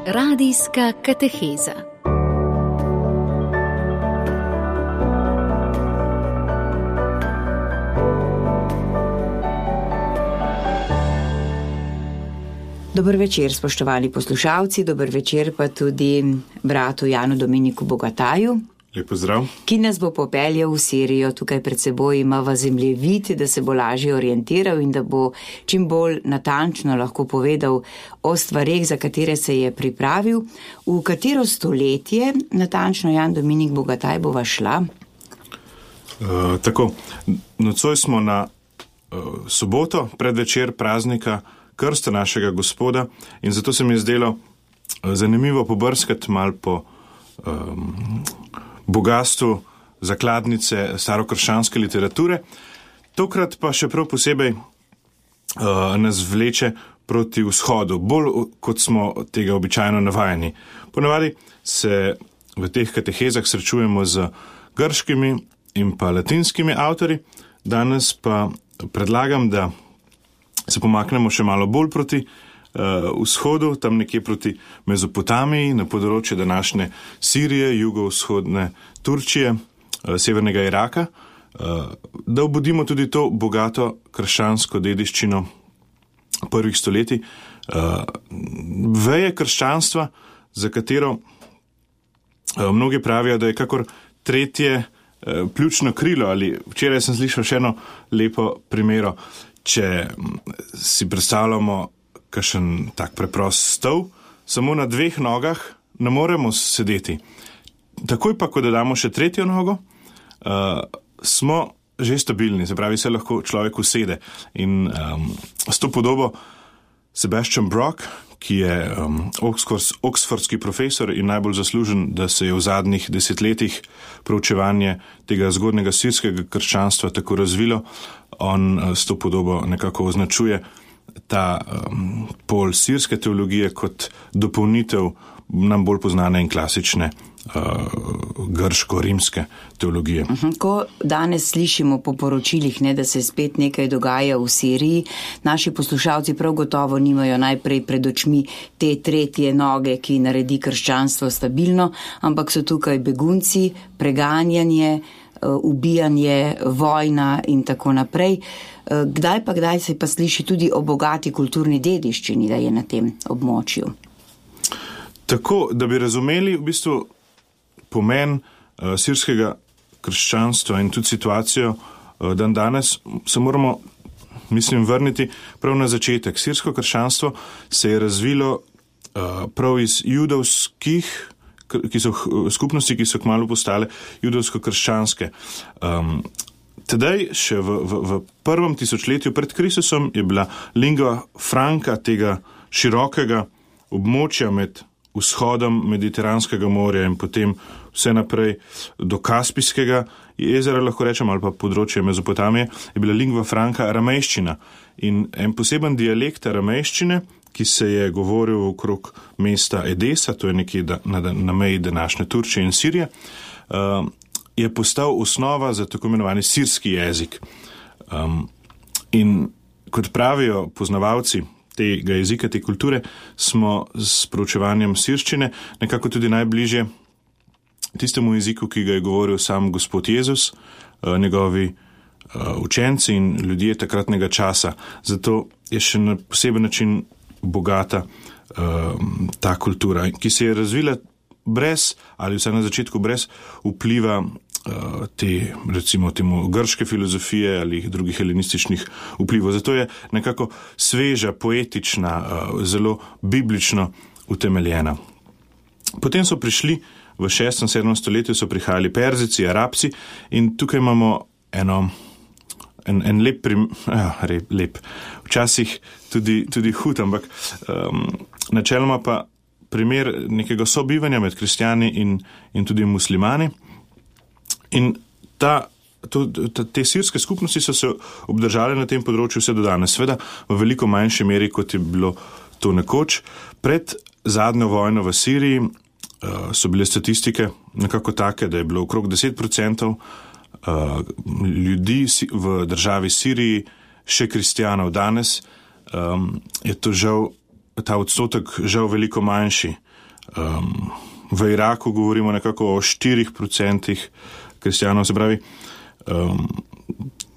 Radijska kateheza. Dober večer, spoštovani poslušalci, dober večer pa tudi bratu Janu Dominiku Bogataju. Lep pozdrav. Ki nas bo popeljal v Sirijo, tukaj pred seboj imava zemljevid, da se bo lažje orientiral in da bo čim bolj natančno lahko povedal o stvareh, za katere se je pripravil. V katero stoletje, natančno Jan Dominik Bogataj, bova šla? Tako, nocoj smo na soboto, predvečer praznika krsta našega Gospoda in zato se mi je zdelo zanimivo pobrskati mal po bogastvu zakladnice starokrščanske literature. Tokrat pa še prav posebej nas vleče proti vzhodu, bolj kot smo tega običajno navajeni. Ponavadi se v teh katehezah srečujemo z grškimi in pa latinskimi avtori, danes pa predlagam, da se pomaknemo še malo bolj proti vzhodu, tam nekje proti Mezopotamiji, na področje današnje Sirije, jugovzhodne Turčije, severnega Iraka, da obudimo tudi to bogato krščansko dediščino prvih stoletij, veje krščanstva, za katero mnogi pravijo, da je kakor tretje pljučno krilo, ali včeraj sem slišal še eno lepo primero. Če si predstavljamo kakšen tak preprost stol, samo na dveh nogah ne moremo sedeti. Takoj pa, ko dodamo še tretjo nogo, smo že stabilni, se pravi, se lahko človek usede. In s to podobo Sebastian Brock, ki je oxfordski profesor in najbolj zaslužen, da se je v zadnjih desetletjih proučevanje tega zgodnega sirskega krščanstva tako razvilo, on s to podobo nekako označuje ta pol sirske teologije kot dopolnitev nam bolj poznane in klasične grško-rimske teologije. Ko danes slišimo po poročilih, da se spet nekaj dogaja v Siriji, naši poslušalci prav gotovo nimajo najprej pred očmi te tretje noge, ki naredi krščanstvo stabilno, ampak so tukaj begunci, preganjanje, ubijanje, vojna in tako naprej. Kdaj se pa sliši tudi o bogati kulturni dediščini, da je na tem območju? Tako, da bi razumeli v bistvu pomen sirskega krščanstva in tudi situacijo dan danes, se moramo, vrniti prav na začetek. Sirsko krščanstvo se je razvilo prav iz judovskih skupnosti, ki so kmalu postale judovsko-krščanske. Tedaj, še v prvem tisočletju pred Kristusom, je bila lingua franca tega širokega območja med vzhodom Mediteranskega morja in potem vse naprej do Kaspijskega jezera, lahko rečem, ali pa področje Mezopotamije, je bila lingua franca aramejščina. In en poseben dialekt aramejščine, ki se je govoril okrog mesta Edesa, to je nekje na meji današnje Turčije in Sirije, je postal osnova za tako imenovani sirski jezik. In kot pravijo poznavalci tega jezika, te kulture, smo s proučevanjem sirščine nekako tudi najbližje tistemu jeziku, ki ga je govoril sam Gospod Jezus, njegovi učenci in ljudje takratnega časa. Zato je še na poseben način bogata ta kultura, ki se je razvila brez, ali vsaj na začetku brez vpliva te, recimo temu, grške filozofije ali drugih helenističnih vplivov. Zato je nekako sveža, poetična, zelo biblično utemeljena. Potem so prišli v 6. in 7. stoletju so prihajali Perzijci, Arabci in tukaj imamo en lep, včasih tudi hud, ampak načeloma pa primer nekega sobivanja med kristjani in tudi muslimani. In te sirske skupnosti so se obdržale na tem področju vse do danes, seveda v veliko manjši meri, kot je bilo to nekoč. Pred zadnjo vojno v Siriji so bile statistike nekako take, da je bilo okrog 10% ljudi v državi Siriji še kristjanov. Danes je to žal, ta odstotek žal veliko manjši. V Iraku govorimo nekako o 4% kristjanov, se pravi,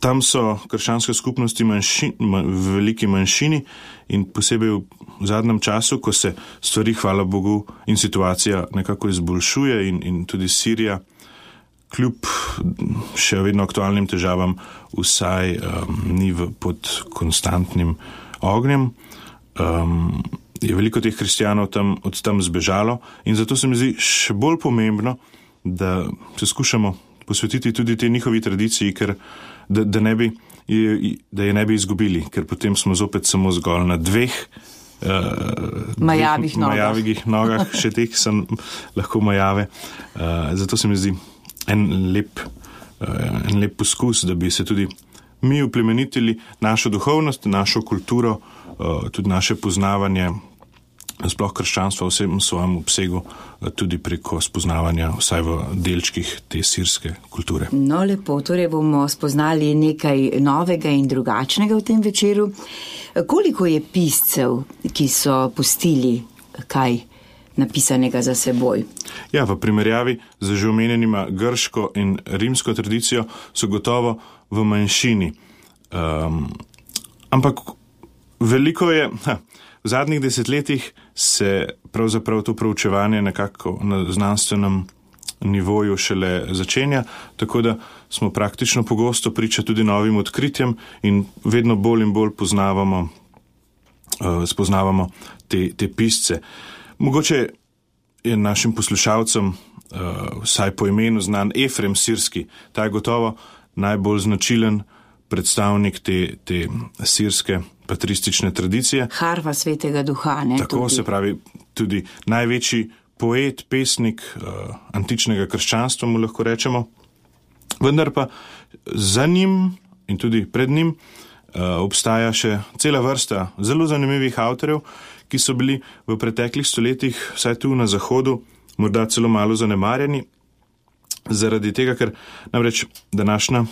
tam so krščanske skupnosti v veliki manjšini in posebej v zadnjem času, ko se stvari, hvala Bogu, in situacija nekako izboljšuje in tudi Sirija, kljub še vedno aktualnim težavam, vsaj ni pod konstantnim ognjem. Je veliko teh kristjanov od tam zbežalo in zato se mi zdi še bolj pomembno, da se skušamo posvetiti tudi tej njihovi tradiciji, ker da je ne bi izgubili, ker potem smo zopet samo zgolj na dveh majavih nogah, še teh sem lahko majave. Zato se mi zdi en lep poskus, da bi se tudi mi uplemenitili našo duhovnost, našo kulturo, tudi naše poznavanje, sploh krščanstva v vsem svojem obsegu, tudi preko spoznavanja vsaj v delčkih te sirske kulture. No, lepo, torej bomo spoznali nekaj novega in drugačnega v tem večeru. Koliko je piscev, ki so pustili kaj napisanega za seboj? Ja, v primerjavi z že omenjenima grško in rimsko tradicijo so gotovo v manjšini. Ampak veliko je... V zadnjih desetletjih se pravzaprav to proučevanje nekako na znanstvenem nivoju šele začenja, tako da smo praktično pogosto priča tudi novim odkritjem in vedno bolj in bolj spoznavamo te pisce. Mogoče je našim poslušalcem vsaj po imenu znan Efrem Sirski. Ta je gotovo najbolj značilen predstavnik te sirske patristične tradicije. Harfa svetega duha, ne? Tako tudi. Se pravi, tudi največji poet, pesnik antičnega krščanstva, mu lahko rečemo. Vendar pa za njim in tudi pred njim obstaja še cela vrsta zelo zanimivih avtorjev, ki so bili v preteklih stoletjih, vsaj tu na Zahodu, morda celo malo zanemarjeni, zaradi tega, ker namreč današnja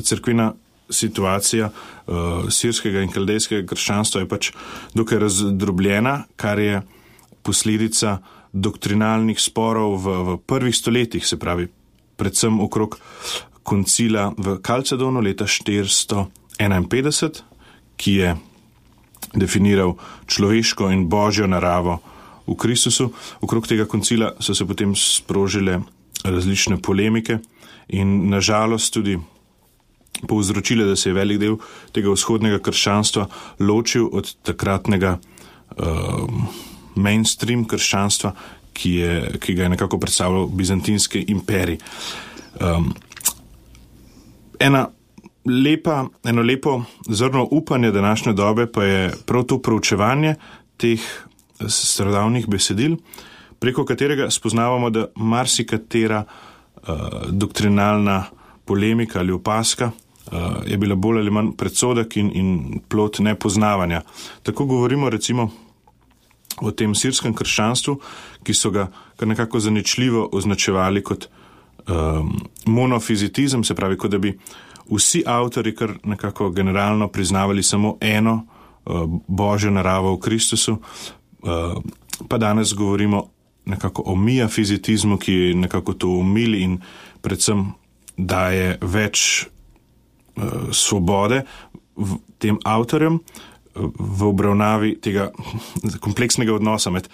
cerkvena situacija sirskega in kaldejskega krščanstva je pač dokaj razdrobljena, kar je posledica doktrinalnih sporov v prvih stoletjih, se pravi predvsem okrog koncila v Kalcedonu leta 451, ki je definiral človeško in božjo naravo v Kristusu. Okrog tega koncila so se potem sprožile različne polemike in nažalost tudi povzročile, da se je velik del tega vzhodnega krščanstva ločil od takratnega mainstream krščanstva, ki ga je nekako predstavljal bizantinski imperij. Eno lepo zrno upanje današnje dobe pa je prav to proučevanje teh starodavnih besedil, preko katerega spoznavamo, da marsikatera doktrinalna polemika ali opaska je bila bolj ali manj predsodek in plod nepoznavanja. Tako govorimo recimo o tem sirskem krščanstvu, ki so ga kar nekako zaničljivo označevali kot monofizitizem, se pravi, kot da bi vsi avtori kar nekako generalno priznavali samo eno božjo naravo v Kristusu, pa danes govorimo nekako o miafizitizmu, ki nekako to umili in predvsem daje več svobode tem avtorjem v obravnavi tega kompleksnega odnosa med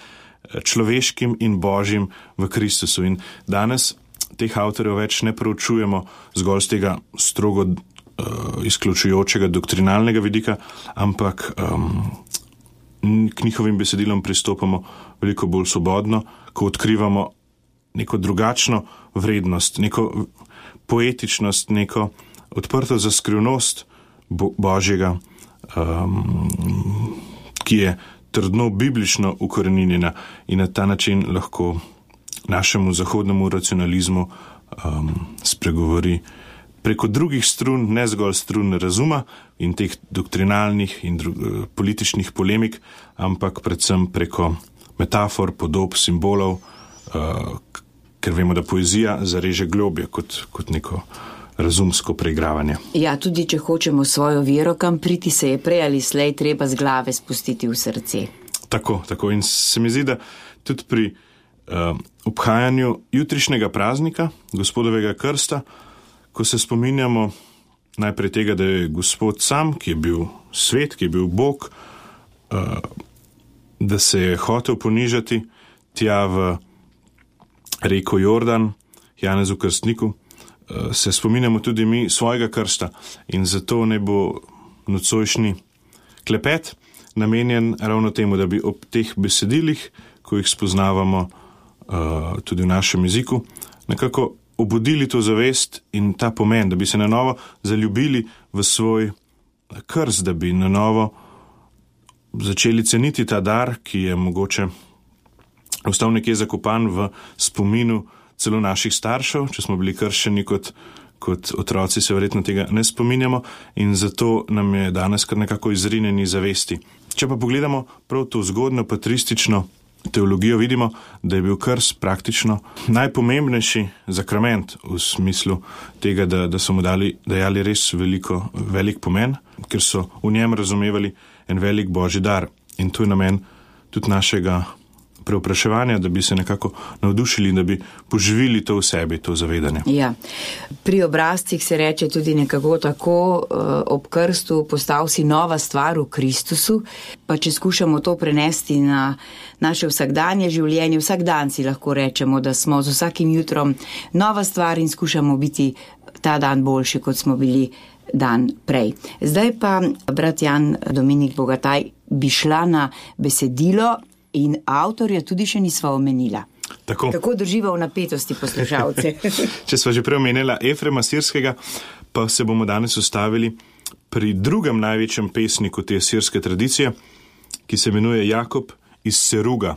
človeškim in božjim v Kristusu. In danes teh avtorjev več ne proučujemo zgolj z tega strogo izključujočega doktrinalnega vidika, ampak k njihovim besedilom pristopamo veliko bolj svobodno, ko odkrivamo neko drugačno vrednost, neko poetičnost, neko odprto za skrivnost Božjega, ki je trdno biblično ukoreninjena in na ta način lahko našemu zahodnemu racionalizmu spregovori preko drugih strun, ne zgolj strun razuma in teh doktrinalnih in političnih polemik, ampak predvsem preko metafor, podob, simbolov, ker vemo, da poezija zareže globje kot neko razumsko preigravanje. Ja, tudi če hočemo svojo vero kam priti, se je prej ali slej treba z glave spustiti v srce. Tako. In se mi zdi, da tudi pri obhajanju jutrišnjega praznika, Gospodovega krsta, ko se spominjamo najprej tega, da je Gospod sam, ki je bil svet, ki je bil Bog, da se je hotel ponižati tja v reko Jordan, Janezu Krstniku, se spominjamo tudi mi svojega krsta in zato ne bo nocojšnji klepet namenjen ravno temu, da bi ob teh besedilih, ko jih spoznavamo tudi v našem jeziku, nekako obudili to zavest in ta pomen, da bi se na novo zaljubili v svoj krst, da bi na novo začeli ceniti ta dar, ki je mogoče ostal nekje zakopan v spominu celo naših staršev, če smo bili krščeni kot otroci, se verjetno tega ne spominjamo in zato nam je danes kar nekako izrinjeni zavesti. Če pa pogledamo prav to zgodno patristično teologijo, vidimo, da je bil krst praktično najpomembnejši zakrament v smislu tega, da so mu dajali res velik pomen, ker so v njem razumevali en velik božji dar. In to je namen tudi našega preopraševanja, da bi se nekako navdušili, da bi poživili to v sebi, to zavedanje. Ja. Pri obrazcih se reče tudi nekako tako, ob krstu postal si nova stvar v Kristusu, pa če skušamo to prenesti na naše vsakdanje življenje, vsak dan si lahko rečemo, da smo z vsakim jutrom nova stvar in skušamo biti ta dan boljši, kot smo bili dan prej. Zdaj pa, brat Jan Dominik Bogataj, bi šla na besedilo in avtorja tudi še nisva omenila. Tako drživa v napetosti poslušalce. Če sva že prej omenila Efrema Sirskega, pa se bomo danes ustavili pri drugem največjem pesniku te sirske tradicije, ki se imenuje Jakob iz Seruga.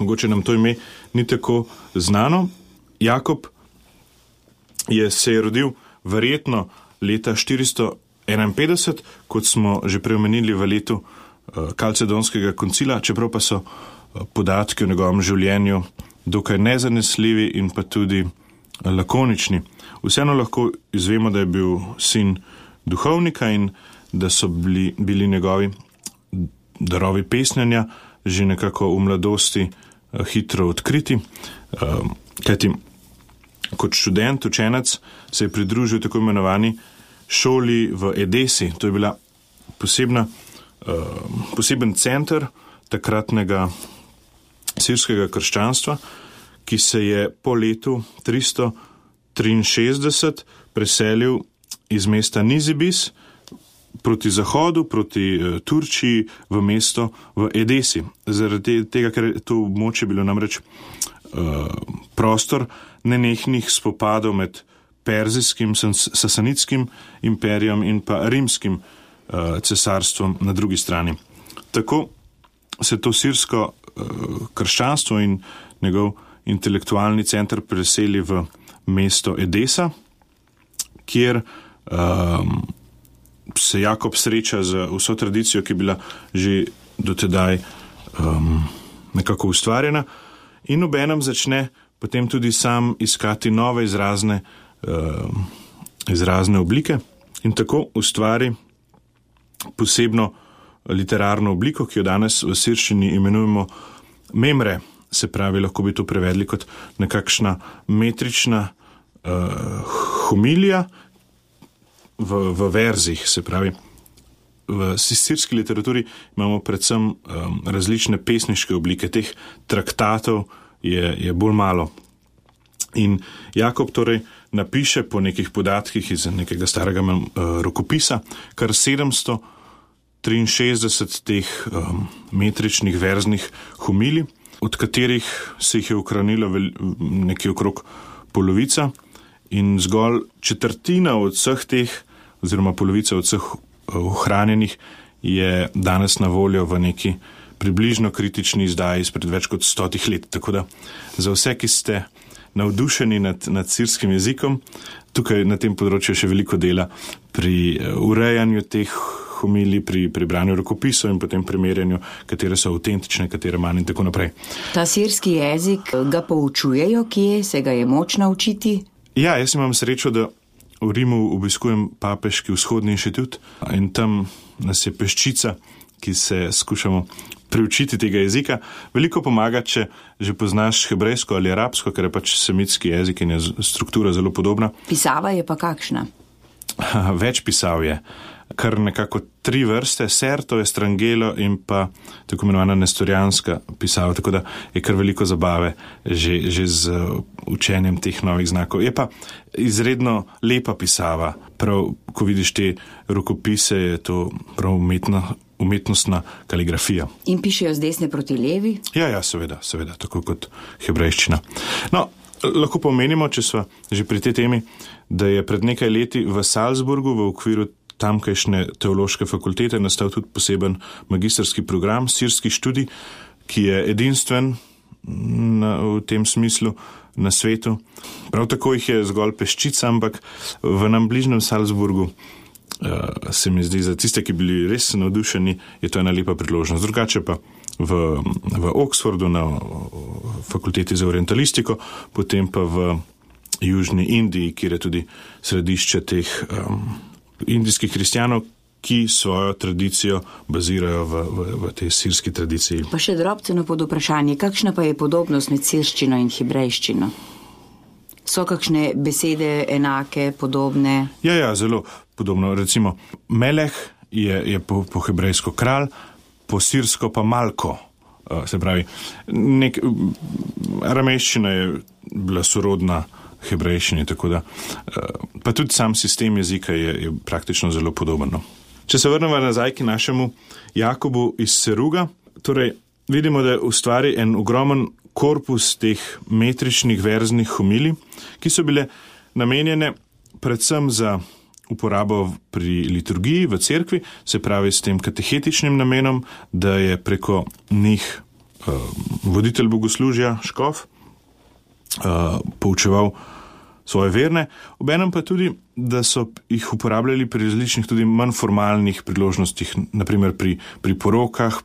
Mogoče nam to ime ni tako znano. Jakob se je rodil verjetno leta 451, kot smo že prej omenili v letu Kalcedonskega koncila, čeprav pa so podatki o njegovem življenju dokaj nezanesljivi in pa tudi lakonični. Vseeno lahko izvemo, da je bil sin duhovnika in da so bili njegovi darovi pesnjenja že nekako v mladosti hitro odkriti. Kajti kot študent, učenec se je pridružil tako imenovani šoli v Edesi. To je bila poseben center takratnega sirskega krščanstva, ki se je po letu 363 preselil iz mesta Nizibis proti zahodu, proti Turčiji v mesto v Edesi. Zaradi tega, ker je to območje bilo namreč prostor nenehnih spopadov med perzijskim, sasanitskim imperijem in pa rimskim cesarstvom na drugi strani. Tako se to sirsko krščanstvo in njegov intelektualni center preseli v mesto Edesa, kjer se Jakob sreča z vso tradicijo, ki je bila že dotedaj nekako ustvarjena in obenem začne potem tudi sam iskati nove izrazne oblike in tako ustvari posebno literarno obliko, ki jo danes v sirščini imenujemo memre, se pravi, lahko bi to prevedli kot nekakšna metrična homilija v verzih, se pravi. V sirski literaturi imamo predvsem različne pesniške oblike, teh traktatov je bolj malo. In Jakob torej napiše po nekih podatkih iz nekega starega rokopisa kar 763 teh metričnih verznih homilij, od katerih se jih je ohranilo nekje okrog polovica in zgolj četrtina od vseh teh, oziroma polovica od vseh ohranjenih je danes na voljo v neki približno kritični izdaji izpred več kot 100 let. Tako da za vse, ki ste navdušeni nad sirskim jezikom, tukaj na tem področju še veliko dela pri urejanju teh homilij, pri branju rokopisov in potem primerjanju, katere so avtentične, katere manj in tako naprej. Ta sirski jezik, ga poučujejo, kje se ga je moč naučiti? Ja, jaz imam srečo, da v Rimu obiskujem papeški vzhodni inštitut in tam nas je peščica, ki se skušamo preučiti tega jezika. Veliko pomaga, če že poznaš hebrejsko ali arabsko, ker je pač semitski jezik in je struktura zelo podobna. Pisava je pa kakšna? Več pisav je. Kar nekako 3 vrste, Serto, Estrangelo in pa tako imenovana nestorijanska pisava, tako da je kar veliko zabave že z učenjem teh novih znakov. Je pa izredno lepa pisava, prav ko vidiš te rokopise, je to prav umetnostna kaligrafija. In pišejo z desne proti levi? Ja, seveda, tako kot hebrejščina. No, lahko pomenimo, če sva že pri tej temi, da je pred nekaj leti v Salzburgu v okviru tamkajšnje teološke fakultete nastal tudi poseben magistrski program, sirski študij, ki je edinstven v tem smislu na svetu. Prav tako jih je zgolj peščica, ampak v nam bližnjem Salzburgu se mi zdi, za tiste, ki bili res navdušeni, je to ena lepa priložnost. Drugače pa v Oxfordu na fakulteti za orientalistiko, potem pa v Južni Indiji, kjer je tudi središče teh indijskih kristjanov, ki svojo tradicijo bazirajo v tej sirski tradiciji. Pa še drobceno pod vprašanje, kakšna pa je podobnost med sirščino in hebrejščino? So kakšne besede enake, podobne? Ja, zelo podobno. Recimo, Meleh je po hebrejsko kralj, po sirsko pa Malko. Se pravi, aramejščina je bila sorodna hebrejščini, tako da pa tudi sam sistem jezika je praktično zelo podoben. Če se vrnemo nazaj k našemu Jakobu iz Seruga, torej vidimo, da ustvari en ogromen korpus teh metričnih verznih homilij, ki so bile namenjene predvsem za uporabo pri liturgiji v cerkvi, se pravi s tem katehetičnim namenom, da je preko njih voditelj bogoslužja, škof, poučeval svoje verne, obenem pa tudi, da so jih uporabljali pri različnih tudi manj formalnih priložnostih, naprimer pri porokah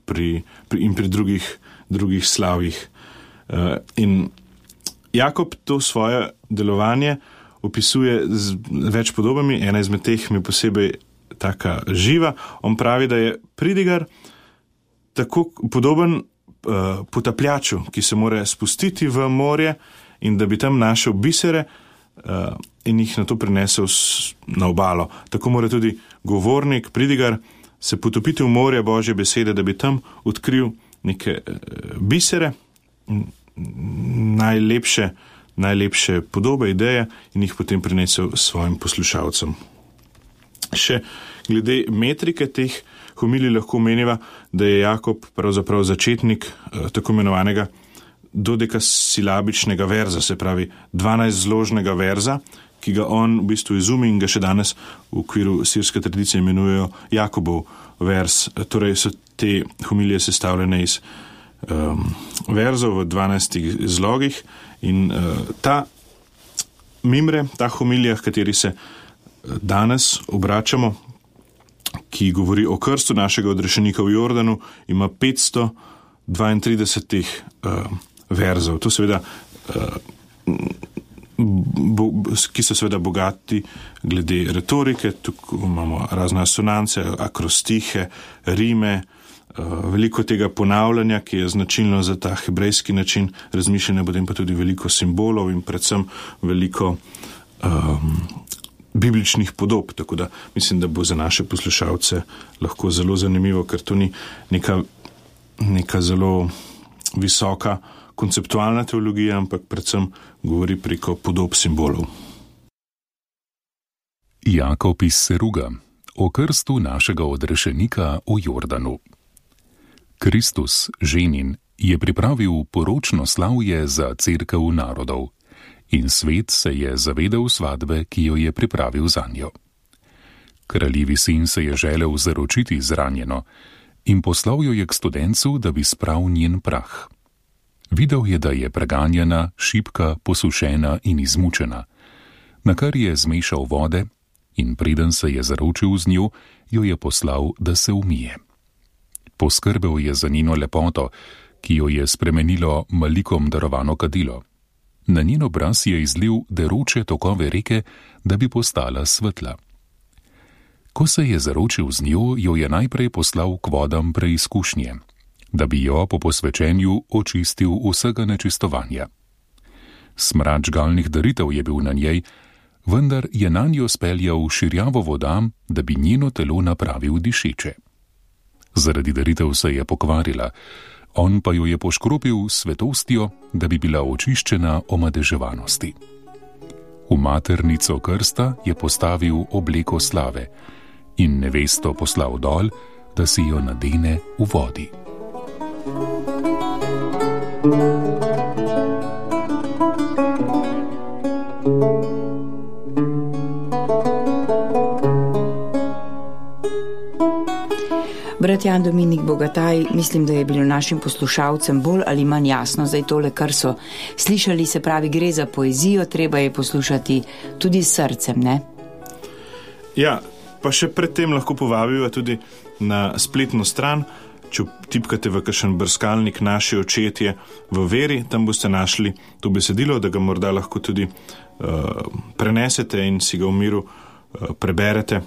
in pri drugih slavjih. In Jakob to svoje delovanje opisuje z več podobami, ena izmed teh mi posebej taka živa. On pravi, da je pridigar tako podoben potapljaču, ki se mora spustiti v morje in da bi tam našel bisere in jih na to prinesel na obalo. Tako mora tudi govornik, pridigar, se potopiti v morje Božje besede, da bi tam odkril neke bisere, najlepše podobe, ideje in jih potem prinesel svojim poslušalcem. Še glede metrike teh homilij lahko meniva, da je Jakob pravzaprav začetnik tako imenovanega dodekasilabičnega verza, se pravi 12-zložnega verza, ki ga on v bistvu izumi in ga še danes v okviru sirske tradicije imenujejo Jakobov verz. Torej so te homilije sestavljene iz verzov v 12 zlogih in ta mimre, ta homilija, v kateri se danes obračamo, ki govori o krstu našega odrešenika v Jordanu, ima 532 verzov. To seveda, ki so seveda bogati glede retorike, tukaj imamo razne asonance, akrostihe, rime, veliko tega ponavljanja, ki je značilno za ta hebrejski način razmišljanja, potem pa tudi veliko simbolov in predvsem veliko bibličnih podob, tako da mislim, da bo za naše poslušalce lahko zelo zanimivo, ker to ni neka zelo visoka konceptualna teologija, ampak predvsem govori preko podob simbolov. Jakob iz Seruga, o krstu našega odrešenika v Jordanu. Kristus, ženin, je pripravil poročno slavje za cerkev narodov in svet se je zavedal svadbe, ki jo je pripravil zanjo. Kraljevi sin se je želel zaročiti zranjeno in poslal jo je k studencu, da bi spral njen prah. Videl je, da je preganjena, šibka, posušena in izmučena, na kar je zmešal vode in preden se je zaročil z njo, jo je poslal, da se umije. Poskrbel je za njeno lepoto, ki jo je spremenilo malikom darovano kadilo. Na njen obraz je izlil deroče tokove reke, da bi postala svetla. Ko se je zaročil z njo, jo je najprej poslal k vodam preizkušnje, da bi jo po posvečenju očistil vsega nečistovanja. Smrad žgalnih daritev je bil na njej, vendar je nanjo speljal širjavo voda, da bi njeno telo napravil dišeče. Zaradi daritev se je pokvarila, on pa jo je poškropil s svetostjo, da bi bila očiščena omadeževanosti. V maternico krsta je postavil obleko slave in nevesto poslal dol, da si jo nadene v vodi. Brat Jan Dominik Bogataj, mislim, da je bilo našim poslušalcem bolj ali manj jasno zdaj tole, kar so slišali, se pravi, gre za poezijo, treba je poslušati tudi s srcem, ne? Ja, pa še predtem lahko povabiva tudi na spletno stran, če tipkate v kakšen brskalnik Naši očetje v veri, tam boste našli to besedilo, da ga morda lahko tudi prenesete in si ga v miru preberete,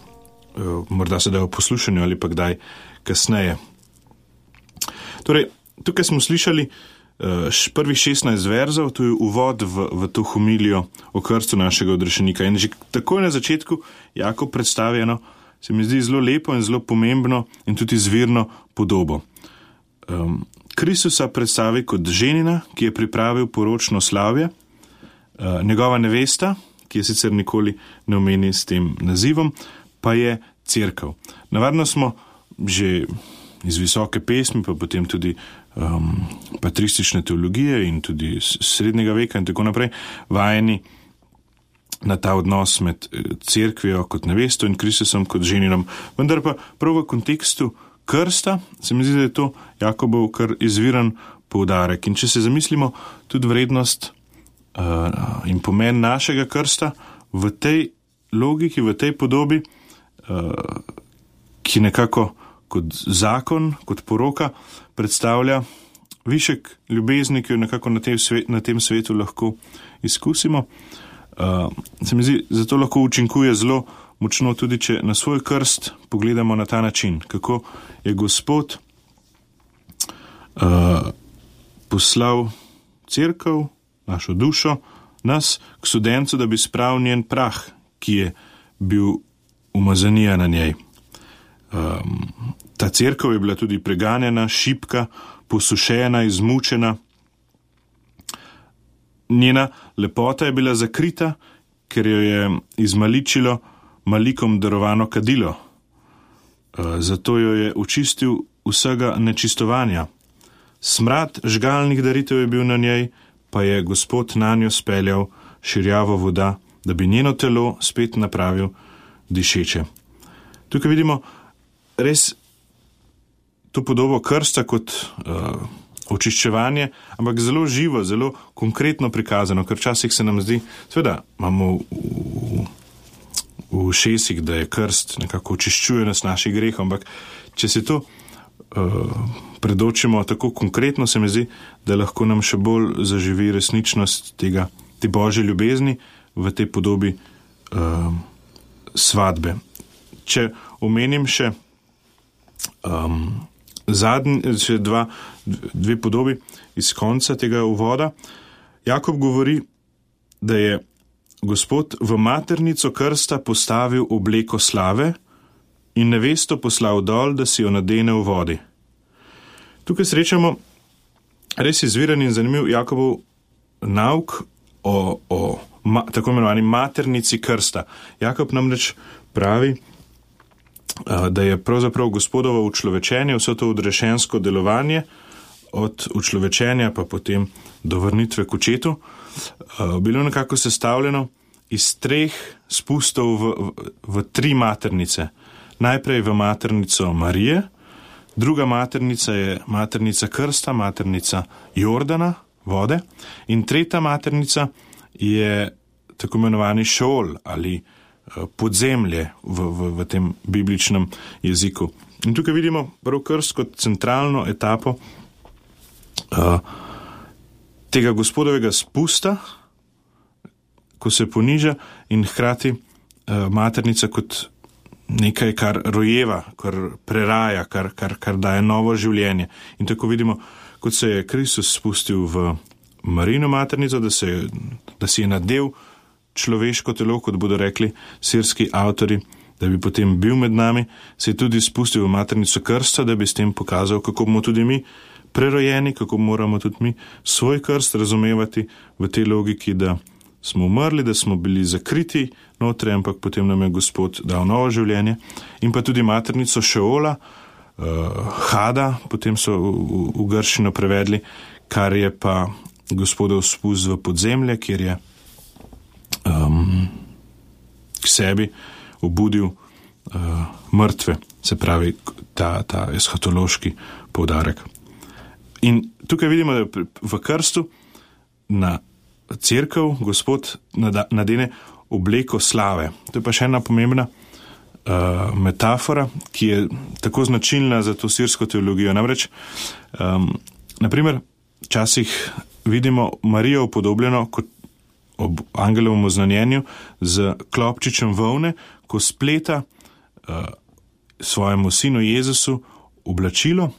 morda se da v poslušanju ali pa kdaj kasneje. Torej, tukaj smo slišali prvih 16 verzov, to je uvod v to homilijo o krstu našega odrešenika. In že takoj na začetku Jakob predstavi eno, se mi zdi zelo lepo in zelo pomembno in tudi zvirno podobo. Kristusa predstavi kot ženina, ki je pripravil poročno slavje, njegova nevesta, ki je sicer nikoli ne omeni s tem nazivom, pa je cerkev. Navadno smo že iz visoke pesmi, pa potem tudi patristične teologije in tudi srednjega veka in tako naprej, vajeni na ta odnos med cerkvijo kot nevesto in Kristusom kot ženinom. Vendar pa prav v kontekstu krsta se mi zdi, da je to Jakobov kar izviren poudarek. In če se zamislimo tudi vrednost in pomen našega krsta v tej logiki, v tej podobi, ki nekako kot zakon, kot poroka predstavlja višek ljubezni, ki jo nekako na tem svetu lahko izkusimo. Se mi zdi, zato lahko učinkuje zelo močno tudi, če na svoj krst pogledamo na ta način, kako je Gospod poslal cerkev, našo dušo, nas k studencu, da bi spravil njen prah, ki je bil umazanija na njej. Ta cerkev je bila tudi preganjena, šibka, posušena, izmučena. Njena lepota je bila zakrita, ker jo je izmaličilo malikom darovano kadilo. Zato jo je očistil vsega nečistovanja. Smrad žgalnih daritev je bil na njej, pa je Gospod nanjo speljal širjavo voda, da bi njeno telo spet napravil dišeče. Tukaj vidimo res to podobo krsta kot očiščevanje, ampak zelo živo, zelo konkretno prikazano, ker včasih se nam zdi, seveda imamo v ušesih, da je krst nekako očiščuje nas naših grehov, ampak če se to predočimo tako konkretno, se mi zdi, da lahko nam še bolj zaživi resničnost te Božje ljubezni v tej podobi svadbe. Če omenim še dve podobi iz konca tega uvoda, Jakob govori, da je Gospod v maternico krsta postavil obleko slave in nevesto poslal dol, da si jo nadene v vodi. Tukaj srečamo res izviren in zanimiv Jakobov nauk o tako imenovani maternici krsta. Jakob namreč pravi, da je pravzaprav Gospodovo učlovečenje, vse to odrešensko delovanje, od učlovečenja pa potem do vrnitve k očetu, bilo nekako sestavljeno iz 3 spustov v 3 maternice. Najprej v maternico Marije, druga maternica je maternica krsta, maternica Jordana, vode, in tretja maternica je tako imenovani Šeol ali podzemlje v tem bibličnem jeziku. In tukaj vidimo prav krst kot centralno etapo tega Gospodovega spusta, ko se poniža, in hkrati maternica kot nekaj, kar rojeva, kar preraja, kar daje novo življenje. In tako vidimo, kot se je Kristus spustil v Marijino maternico, da si je nadel človeško telo, kot bodo rekli sirski avtori, da bi potem bil med nami, se je tudi spustil v maternico krsta, da bi s tem pokazal, kako bomo tudi mi prerojeni, kako moramo tudi mi svoj krst razumevati v tej logiki, da smo umrli, da smo bili zakriti notri, ampak potem nam je Gospod dal novo življenje. In pa tudi maternico Šeola, Hada, potem so v grščino prevedli, kar je pa Gospodov spust v podzemlje, kjer je k sebi obudil mrtve, se pravi ta eschatološki poudarek. In tukaj vidimo, da v krstu na cerkev Gospod nadene obleko slave. To je pa še ena pomembna metafora, ki je tako značilna za to sirsko teologijo. Namreč, naprimer, včasih vidimo Marijo upodobljeno kot ob angelovem oznanjenju z klopčičem volne, ko spleta svojemu sinu Jezusu oblačilo,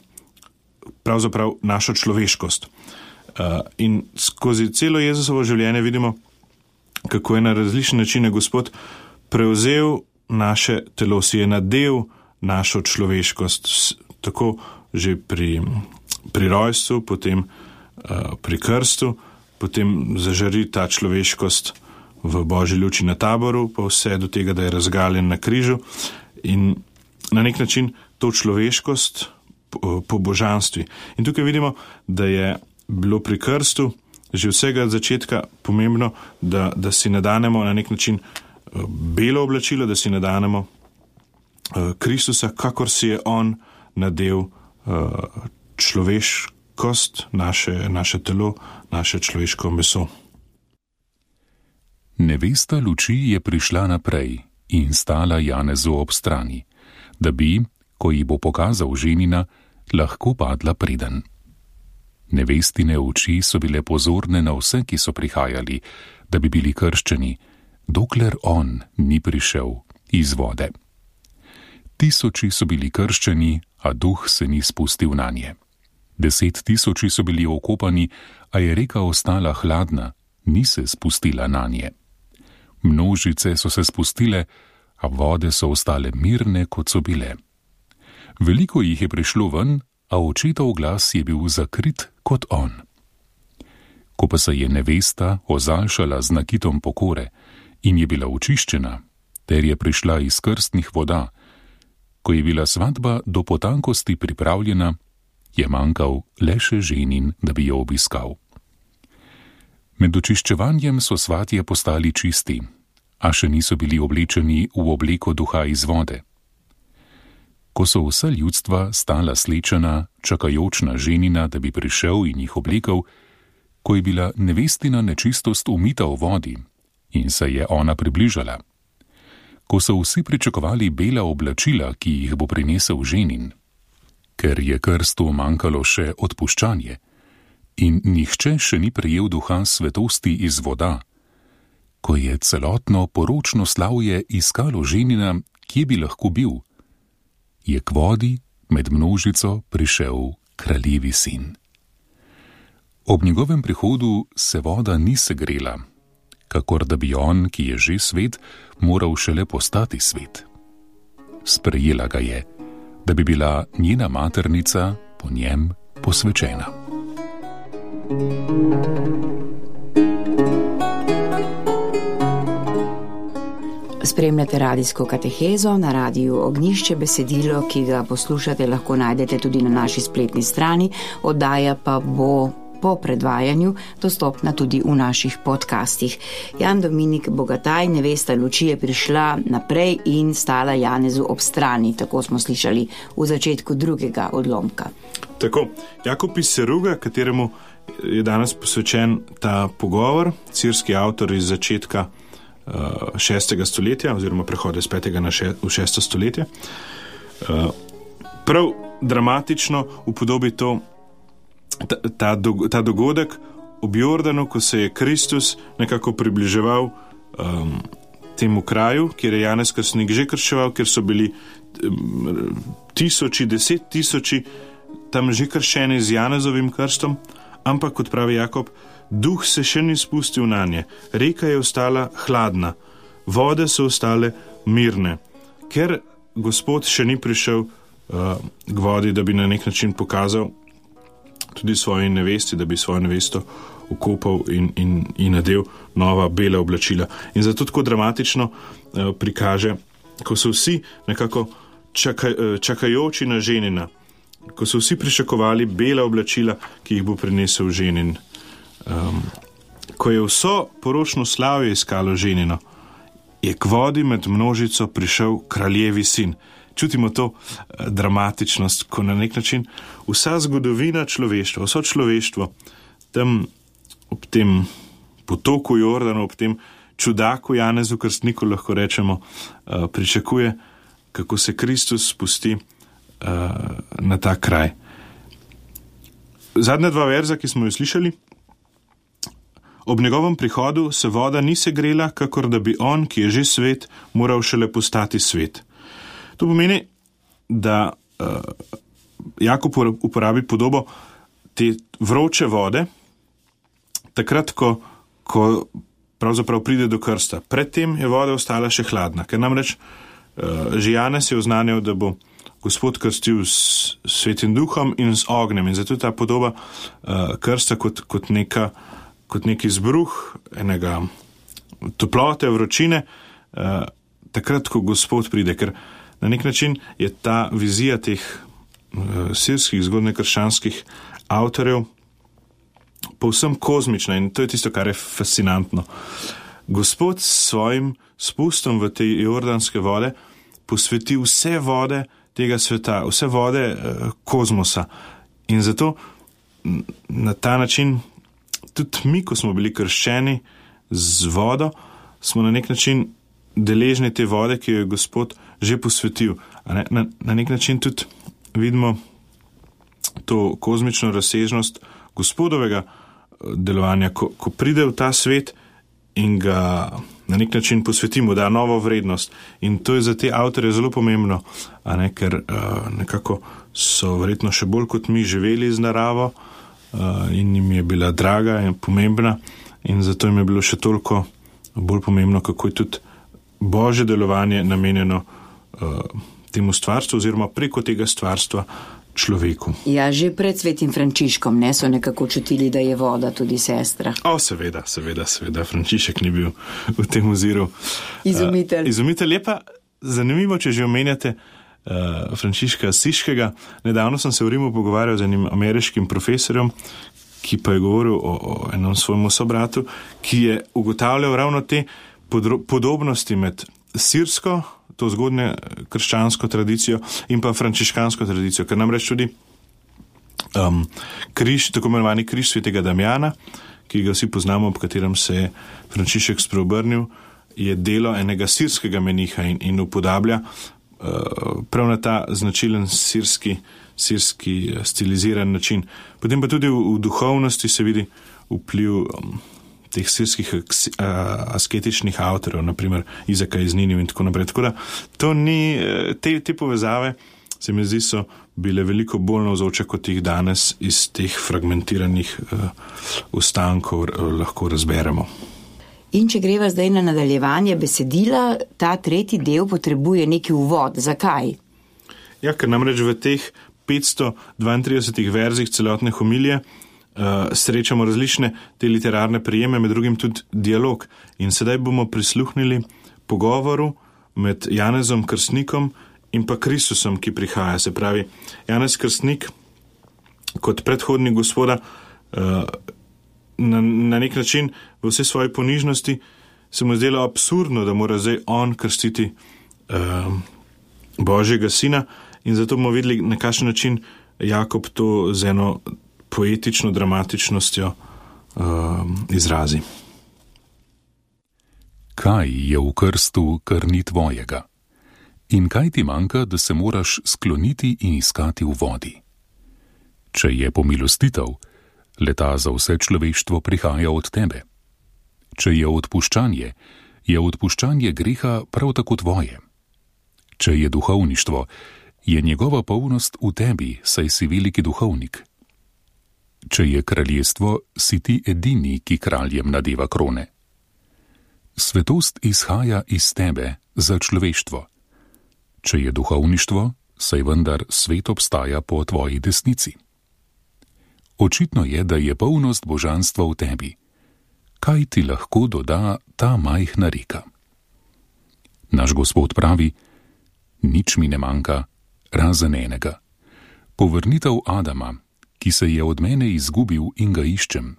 pravzaprav našo človeškost. In skozi celo Jezusovo življenje vidimo, kako je na različne načine Gospod prevzel naše telo, si je nadel našo človeškost, tako že pri rojstvu, potem pri krstu, potem zažari ta človeškost v Božji luči na Taboru, pa vse do tega, da je razgaljen na križu in na nek način to človeškost po božanstvi. In tukaj vidimo, da je bilo pri krstu že vsega začetka pomembno, da si nadanemo na nek način belo oblačilo, da si nadanemo Kristusa, kakor si je on nadel človeškost, naše telo, naše človeško meso. Nevesta luči je prišla naprej in stala Janezu ob strani, da bi, ko ji bo pokazal ženina, lahko padla preden. Nevestine oči so bile pozorne na vse, ki so prihajali, da bi bili krščeni, dokler on ni prišel iz vode. Tisoči so bili krščeni, a duh se ni spustil nanje. 10 000 so bili okopani, a je reka ostala hladna, ni se spustila nanje. Množice so se spustile, a vode so ostale mirne, kot so bile. Veliko jih je prišlo ven, a očetov glas je bil zakrit kot on. Ko pa se je nevesta ozaljšala z nakitom pokore in je bila očiščena, ter je prišla iz krstnih voda, ko je bila svatba do potankosti pripravljena, je manjkal le še ženin, da bi jo obiskal. Med očiščevanjem so svatje postali čisti, a še niso bili oblečeni v obleko duha iz vode. Ko so vsa ljudstva stala slečena, čakajoč na ženina, da bi prišel in jih oblekel, ko je bila nevestina nečistost umita v vodi in se je ona približala, ko so vsi pričakovali bela oblačila, ki jih bo prinesel ženin, ker je krstu manjkalo še odpuščanje in nihče še ni prejel duha svetosti iz voda, ko je celotno poročno slavje iskalo ženina, kje bi lahko bil, je k vodi med množico prišel kraljevi sin. Ob njegovem prihodu se voda ni segrela, kakor da bi on, ki je že svet, moral šele postati svet. Sprejela ga je, da bi bila njena maternica po njem posvečena. Spremljate radijsko katehezo na radiju Ognjišče. Besedilo, ki ga poslušate, lahko najdete tudi na naši spletni strani, oddaja pa bo po predvajanju dostopna tudi v naših podcastih. Jan Dominik Bogataj, nevesta luči, je prišla naprej in stala Janezu ob strani, tako smo slišali v začetku drugega odlomka. Tako, Jakob iz Seruga, kateremu je danes posvečen ta pogovor, sirski avtor iz začetka 6. stoletja, oziroma prehoda iz 5. v 6. stoletje, prav dramatično upodobi ta dogodek ob Jordanu, ko se je Kristus nekako približeval temu kraju, kjer je Janez Krstnik že krščeval, kjer so bili tisoči, 10 000 tam že krščeni z Janezovim krstom, ampak, kot pravi Jakob, duh se še ni spustil na nje, reka je ostala hladna, vode so ostale mirne, ker Gospod še ni prišel k vodi, da bi na nek način pokazal tudi svoji nevesti, da bi svojo nevesto ukopal in nadel nova bela oblačila. In zato tako dramatično prikaže, ko so vsi nekako čakajoči na ženina, ko so vsi pričakovali bela oblačila, ki jih bo prinesel ženin. Ko je vso poročno slavje iskalo ženino, je k vodi med množico prišel kraljevi sin. Čutimo to dramatičnost, ko na nek način vsa zgodovina človeštva, vso človeštvo tam ob tem potoku Jordanu, ob tem čudaku Janezu Krstniku, lahko rečemo, pričakuje, kako se Kristus spusti na ta kraj. Zadnja dva verza, ki smo jo slišali: ob njegovem prihodu se voda ni segrela, kakor da bi on, ki je že svet, moral šele postati svet. To pomeni, da Jakob uporabi podobo te vroče vode, takrat, ko pravzaprav pride do krsta. Predtem je voda ostala še hladna, ker namreč že Janez je oznanjal, da bo Gospod krstil s Svetim duhom in z ognjem. In zato je ta podoba krsta kot nek izbruh enega toplote, vročine, takrat, ko Gospod pride. Ker na nek način je ta vizija teh sirskih, zgodnjekrščanskih avtorjev povsem kozmična in to je tisto, kar je fascinantno. Gospod s svojim spustom v te jordanske vode posveti vse vode tega sveta, vse vode kozmosa. In zato na ta način tudi mi, ko smo bili krščeni z vodo, smo na nek način deležni te vode, ki jo je Gospod že posvetil. Na nek način tudi vidimo to kozmično razsežnost Gospodovega delovanja, ko pride v ta svet in ga na nek način posvetimo, da novo vrednost. In to je za te avtorje zelo pomembno, ker nekako so verjetno še bolj kot mi živeli z naravo in jim je bila draga in pomembna in zato jim je bilo še toliko bolj pomembno, kako je tudi Božje delovanje namenjeno temu stvarstvu oziroma preko tega stvarstva človeku. Ja, že pred svetim Frančiškom so nekako čutili, da je voda tudi sestra. Seveda, Frančišek ni bil v tem oziru izumitelj. Izumitelj je pa zanimivo, če že omenjate Frančiška Asiškega. Nedavno sem se v Rimu pogovarjal z enim ameriškim profesorjem, ki pa je govoril o enem svojemu sobratu, ki je ugotavljal ravno te podobnosti med sirsko, to zgodnje krščansko tradicijo in pa frančiškansko tradicijo, ker namreč tudi križ, tako imenovani križ svetega Damjana, ki ga vsi poznamo, ob katerem se je Frančišek spreobrnil, je delo enega sirskega meniha in upodablja prav na ta značilen sirski stiliziran način. Potem pa tudi v duhovnosti se vidi vpliv teh sirskih asketičnih avtorjev, naprimer Izaka iz Ninive in tako naprej. Tako da to ni, te povezave se mi zdi so bile veliko bolj navzoče, kot jih danes iz teh fragmentiranih ostankov lahko razberemo. In če greva zdaj na nadaljevanje besedila, ta tretji del potrebuje neki uvod. Zakaj? Ja, ker namreč v teh 532 verzih celotne homilije srečamo različne te literarne prijeme, med drugim tudi dialog. In sedaj bomo prisluhnili pogovoru med Janezom Krstnikom in pa Kristusom, ki prihaja. Se pravi, Janez Krstnik kot predhodnik Gospoda na nek način v vse svoje ponižnosti se mu zdelo absurdno, da mora zdaj on krstiti Božjega sina in zato bomo videli, na kakšen način Jakob to z eno poetično dramatičnostjo izrazi. Kaj je v krstu, kar ni tvojega? In kaj ti manjka, da se moraš skloniti in iskati v vodi? Če je pomilostitev, leta za vse človeštvo prihaja od tebe. Če je odpuščanje, je odpuščanje greha prav tako tvoje. Če je duhovništvo, je njegova polnost v tebi, saj si veliki duhovnik. Če je kraljestvo, si ti edini, ki kraljem nadeva krone. Svetost izhaja iz tebe za človeštvo. Če je duhovništvo, saj vendar svet obstaja po tvoji desnici. Očitno je, da je polnost božanstva v tebi. Kaj ti lahko doda ta majhna reka? Naš Gospod pravi: nič mi ne manjka, razen enega. Povrnitev Adama, ki se je od mene izgubil in ga iščem.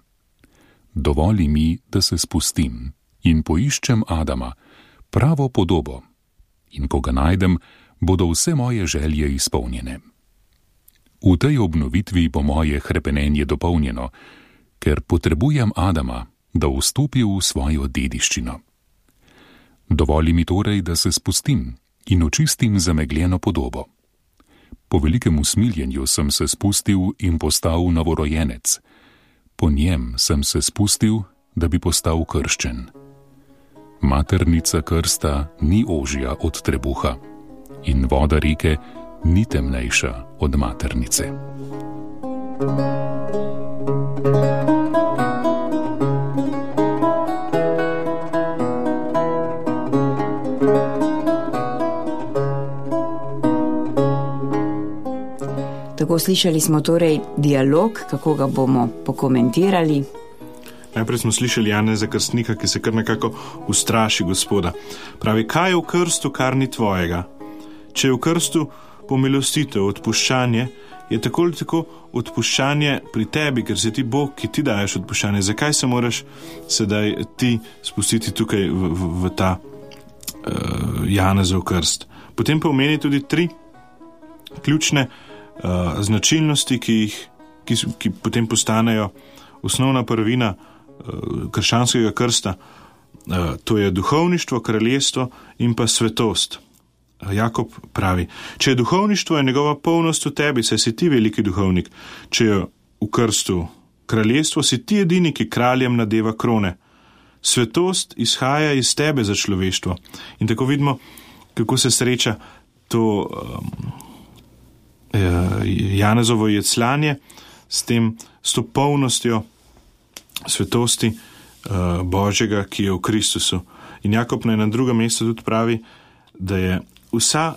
Dovoli mi, da se spustim in poiščem Adama, pravo podobo, in ko ga najdem, bodo vse moje želje izpolnjene. V tej obnovitvi bo moje hrepenenje dopolnjeno, ker potrebujem Adama, da vstopi v svojo dediščino. Dovoli mi torej, da se spustim in očistim zamegljeno podobo. Po velikem usmiljenju sem se spustil in postal novorojenec. Po njem sem se spustil, da bi postal krščen. Maternica krsta ni ožja od trebuha in voda reke ni temnejša od maternice. Tako slišali smo torej dialog, kako ga bomo pokomentirali. Najprej smo slišali Janeza Krstnika, ki se kar nekako ustraši Gospoda. Pravi, kaj je v krstu, kar ni tvojega? Če je v krstu pomilostitev, odpuščanje, je tako ali tako odpuščanje pri tebi, ker si ti Bog, ki ti daješ odpuščanje. Zakaj se moraš sedaj ti spustiti tukaj v ta Janezov krst? Potem pa omeni tudi 3 ključne značilnosti, ki potem postanejo osnovna prvina krščanskega krsta. To je duhovništvo, kraljestvo in pa svetost. Jakob pravi, če je duhovništvo, je njegova polnost v tebi, saj si ti veliki duhovnik. Če je v krstu kraljestvo, si ti edini, ki kraljem nadeva krone. Svetost izhaja iz tebe za človeštvo. In tako vidimo, kako se sreča to Janezovo jecljanje s to polnostjo svetosti Božjega, ki je v Kristusu. In Jakob na drugem mestu tudi pravi, da je vsa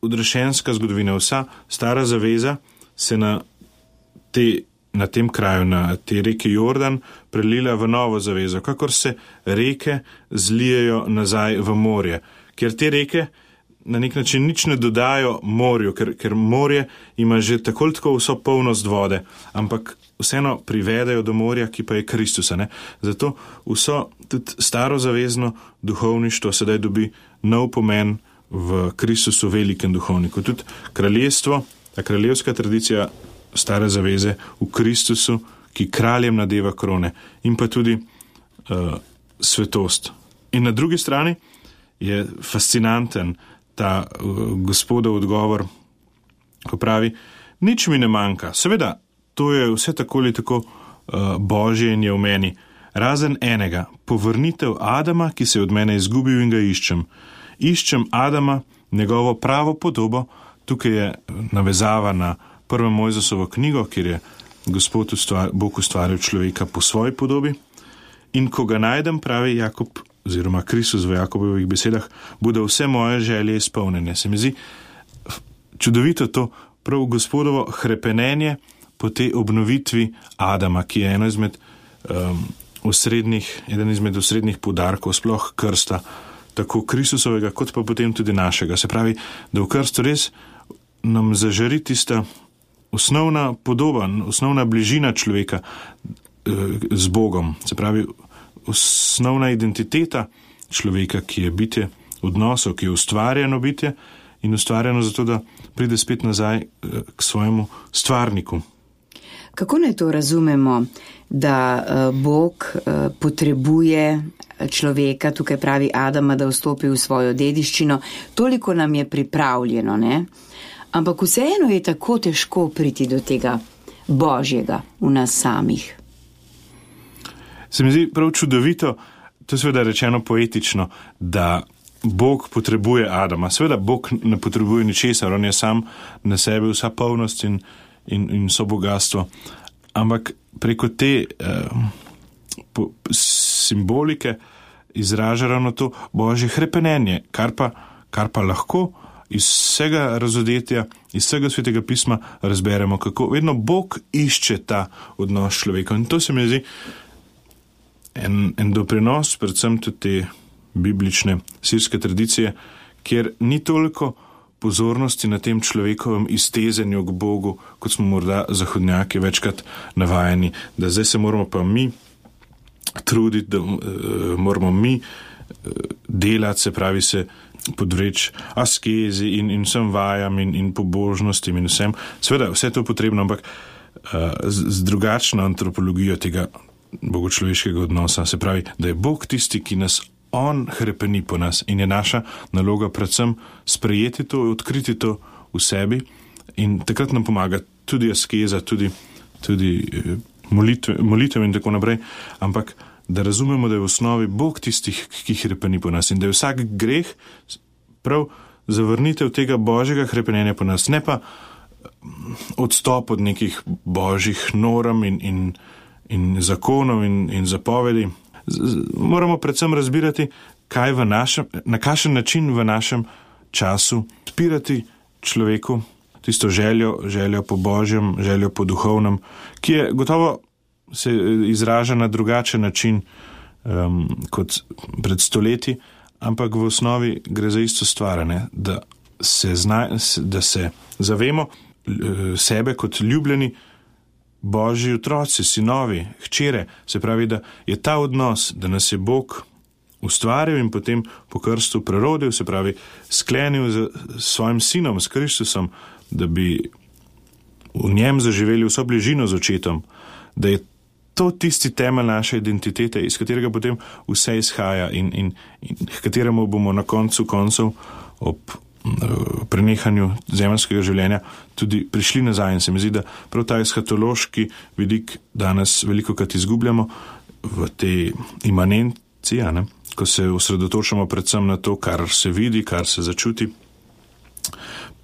odrešenska zgodovina, vsa stara zaveza se na tem kraju, na te reke Jordan, prelila v novo zavezo, kakor se reke zlijejo nazaj v morje, ker te reke na nek način nič ne dodajo morju, ker morje ima že tako ali tako vso polnost vode, ampak vseeno privedajo do morja, ki pa je Kristusa. Ne? Zato vso tudi starozavezno duhovništvo sedaj dobi nov pomen v Kristusu, velikem duhovniku. Tudi kraljestvo, ta kraljevska tradicija stare zaveze v Kristusu, ki kraljem nadeva krone, in pa tudi svetost. In na drugi strani je fascinanten ta Gospodov odgovor, ko pravi, nič mi ne manjka. Seveda, to je vse tako ali tako Božje in je v meni, razen enega, povrnitev Adama, ki se je od mene izgubil in ga iščem. Iščem Adama, njegovo pravo podobo. Tukaj je navezava na 1. Mojzesovo knjigo, kjer je Bog ustvaril človeka po svoji podobi. In ko ga najdem, pravi Jakob, oziroma Kristus v Jakobovih besedah, bodo vse moje želje izpolnjene. Se mi zdi čudovito to prav Gospodovo hrepenenje po tej obnovitvi Adama, ki je eden izmed osrednjih poudarkov sploh krsta, tako Kristusovega, kot pa potem tudi našega. Se pravi, da v krstu res nam zažari tista osnovna podoba, osnovna bližina človeka z Bogom. Se pravi, osnovna identiteta človeka, ki je bitje odnosov, ki je ustvarjeno bitje in ustvarjeno zato, da pride spet nazaj k svojemu stvarniku. Kako naj to razumemo, da Bog potrebuje človeka, tukaj pravi Adama, da vstopi v svojo dediščino? Toliko nam je pripravljeno, ne? Ampak vseeno je tako težko priti do tega Božjega v nas samih. Se mi zdi prav čudovito to je seveda rečeno poetično, da Bog potrebuje Adama. Seveda Bog ne potrebuje ničesar, on je sam na sebi vsa polnost in vso bogatstvo. Ampak preko te simbolike izraža ravno to Božje hrepenenje, kar pa lahko iz vsega razodetja, iz vsega Svetega pisma razberemo, kako vedno Bog išče ta odnos človeka. In to se mi zdi en doprinos, predvsem tudi te biblične sirske tradicije, kjer ni toliko pozornosti na tem človekovem iztezenju k Bogu, kot smo morda zahodnjaki večkrat navajeni, da zdaj se moramo pa mi truditi, da moramo mi delati, se pravi se podvreči askezi in vsem vajam in pobožnostim in vsem. Seveda, vse to je potrebno, ampak z drugačno antropologijo tega bogočloveškega odnosa. Se pravi, da je Bog tisti, ki nas on hrepeni po nas in je naša naloga predvsem sprejeti to, odkriti to v sebi in takrat nam pomaga tudi askeza, tudi molitev in tako naprej, ampak da razumemo, da je v osnovi Bog tistih, ki hrepeni po nas in da je vsak greh prav zavrnitev tega Božjega hrepenenja po nas, ne pa odstop od nekih božjih norm in zakonov in zapovedi. Moramo predvsem razbirati, na kakšen način v našem času odpirati človeku tisto željo po Božjem, željo po duhovnem, ki je gotovo se izraža na drugačen način kot pred stoletji, ampak v osnovi gre za isto stvar, ne? Da se zavemo sebe kot ljubljeni Božji otroci, sinovi, hčere, se pravi, da je ta odnos, da nas je Bog ustvaril in potem po krstu prerodil, se pravi, sklenil z svojim sinom, s Kristusom, da bi v njem zaživeli vso bližino z očetom, da je to tisti temelj naše identitete, iz katerega potem vse izhaja in k kateremu bomo na koncu koncev ob prenehanju zemeljskega življenja tudi prišli nazaj. In se mi zdi, da prav ta eskatološki vidik danes velikokrat izgubljamo v tej imanenci, ko se osredotočamo predvsem na to, kar se vidi, kar se začuti,